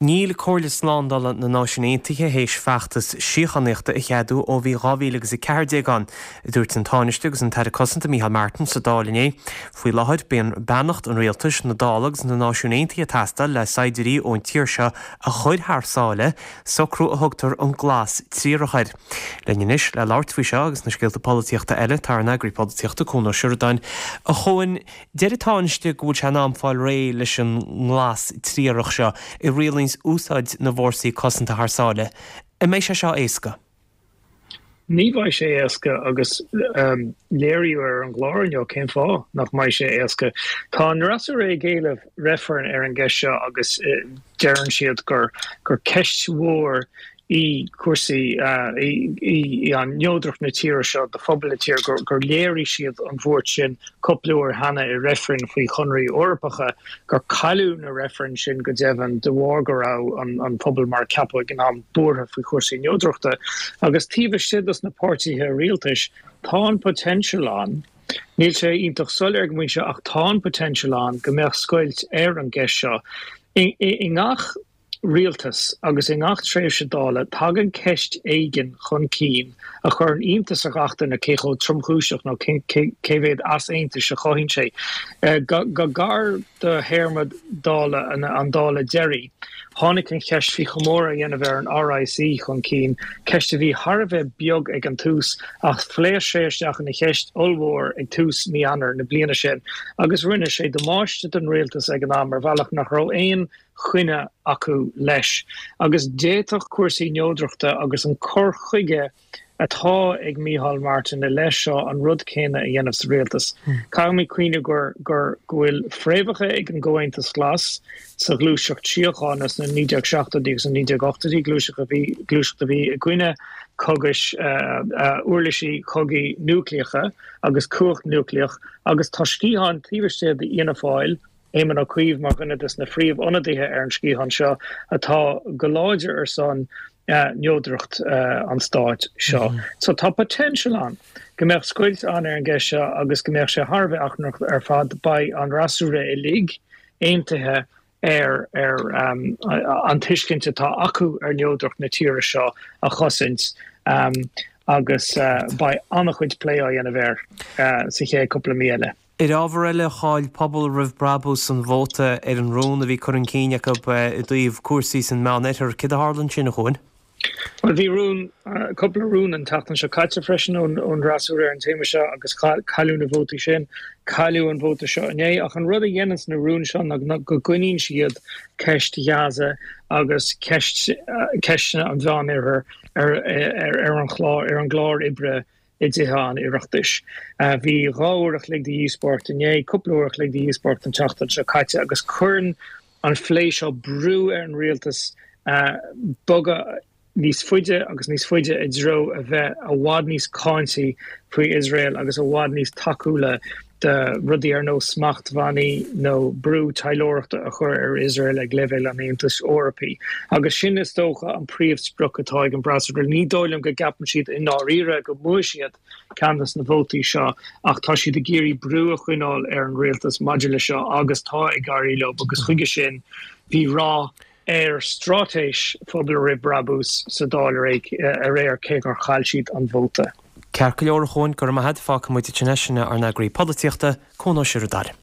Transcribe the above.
Níl Comhairle Slándála na Náisiún Aontaithe théis feachtas síochánaíochta a cheadú ó bhí 2014 ann, a dúirt an Tánaiste agus an tAire Cosanta Micheál Martin sa Dáil inné. Faoi láthair, bíonn beannacht an rialtais, na Dála agus na Náisiún Aontaithe ag teastáil le saighdiúirí ón tír seo a chur thar sáile, socrú a thugtar an glas triarach air. Linn anois le labhairt faoi seo agus na scéalta polaitíochta eile tá ár n-eagraí polaitíochta, Cuan Ó Seireadáin. A Chuain, Deir an Tánaiste go bhfuil sé in am fáil réidh leis an nglas triarach seo a rialaíonns úsáid na bhfórsaí cosanta thar sáile. An mbeidh sé seo éasca? Ní bheidh sé éasca agus léiríodh ar an gclár inniu cén fáth nach mbeidh sé éasca. Tá an fhreasúra ag éileamh reifreann ar an gceist seo agus deireann siad gur ceist mhór í cúrsaí, í an neodracht na tíre seo do phobal na tíre, gur léirigh siad an bhuairt sin cúpla uair cheana i reifrinn faoi chonraí Eorpacha, gur cailleadh na reifrinn sin go deimhin de bharr go raibh an pobal mar a ceapadh ag an am buartha faoi chúrsaí neodrachta. Agus taobh istigh dos na páirtithe rialtais tá an potential ann, níl sé iontach soiléir ag an bpointe seo ach tá an potential ann go mbeadh scoilt ar an gceist seo. I ngach. rialtas agus i ngach tréimhse Dála tagann ceist éigin chun cinn a chuireann iontas ar gach duine cé chomh tromchúiseach nó cé mhéad easaontais a chothaíonn sé. Go gar do théarma Dála an Dála deiridh, tháinig an cheist faoi chomóradh a dhéanamh ar an RIC chun cinn, ceist a bhí thar a bheith beag ag an tús ach phléasc sé isteach ina cheist ollmhór ag tús mí Eanáir na bliana sin agus rinne sé damáiste don rialtas ag an am ar bhealach nach raibh aon choinne acu leis. Agus d'fhéadfadh cúrsaí neodrachta agus an cur chuige atá ag Micheál Martin i leith seo an rud céanna a dhéanamh sa rialtas. Caithfimid cuimhneamh gur gur go bhfuil fréamhacha ag an gComhaontas Glas sa ghluaiseacht síochána sna 1970idí agus na 1980idí, gluaiseacht a bhí gluaiseacht a bhí i gcoinne cogaidh uirlisí cogaidh núicléacha agus cumhacht núicléach agus tá sciathán taobh istigh d'Fhianna Fáil Éamon Ó Cuív mar dhuine de na phríomhionadaithe ar an sciathán seo atá go láidir ar son neodracht an stáit seo. So tá potential ann go mbeadh scoilt ann ar an gceist seo agus go mbeadh sé thar a bheith achrannach ar fad. Beidh an fhreasúra uilig aontaithe ar ar an tuiscint atá acu ar neodracht na tíre seo a chosaint agus beidh an-chuid plé á dhéanamh air sa chéad cúpla mí eile. Ar ábhar eile, chaill Pobal Roimh Brabús an vóta ar an rún a bhí curtha chun cinn acu i dtaobh cúrsaí san Meánoirthear. Céard a tharla ansin, a Chuain? Bhuel, bhí rún, cúpla rún an tseachtain seo caite freisin ón bhfreasúra ar an téama seo agus cailleadh na vótaí sin. Cailleadh an vóta seo inné. Ach an rud a dhéananns na rúin seo ná go gcoinníonn siad ceist Ghaza agus ceist, ceisteanna an Mheánoirthir ar, ar an chlár, ar an gclár oibre i dTithe an Oireachtais. Bhí 2 uair a chloig de dhíospóireacht inné, cúpla uair a chloig de dhíospóireacht an tseachtain seo caite agus cuireann an phlé seo brú ar an rialtas bogadh níos faide agus níos faide i dtreo a bheith i bhfad níos cáintí faoi Iosrael agus i bhfad níos tacúla do rudaí ar nós smachtbhannaí nó brú taidhleoireachta a chur ar Iosrael ag leibhéal an Aontais Eorpaigh. Agus sin, is dócha, an príomhsprioc atá ag an bhfreasúra. Ní dóigh liom go gceapann siad i ndáiríre go mbuafaidh siad ceann de na vótaí seo ach tá siad ag iarraidh brú a choinneáil ar an rialtas maidir le seo agus tá ag éirí leo agus chuige sin bhí rath ar straitéis Phobal Roimh Brabús sa Dáil aréir cé gur chaill siad an vóta. Ceart go leor a Chuain, go raibh maith agat, fágfaidh muid ansin é, sin ár n-eagraí polaitíochta, Cuan Ó Seireadáin.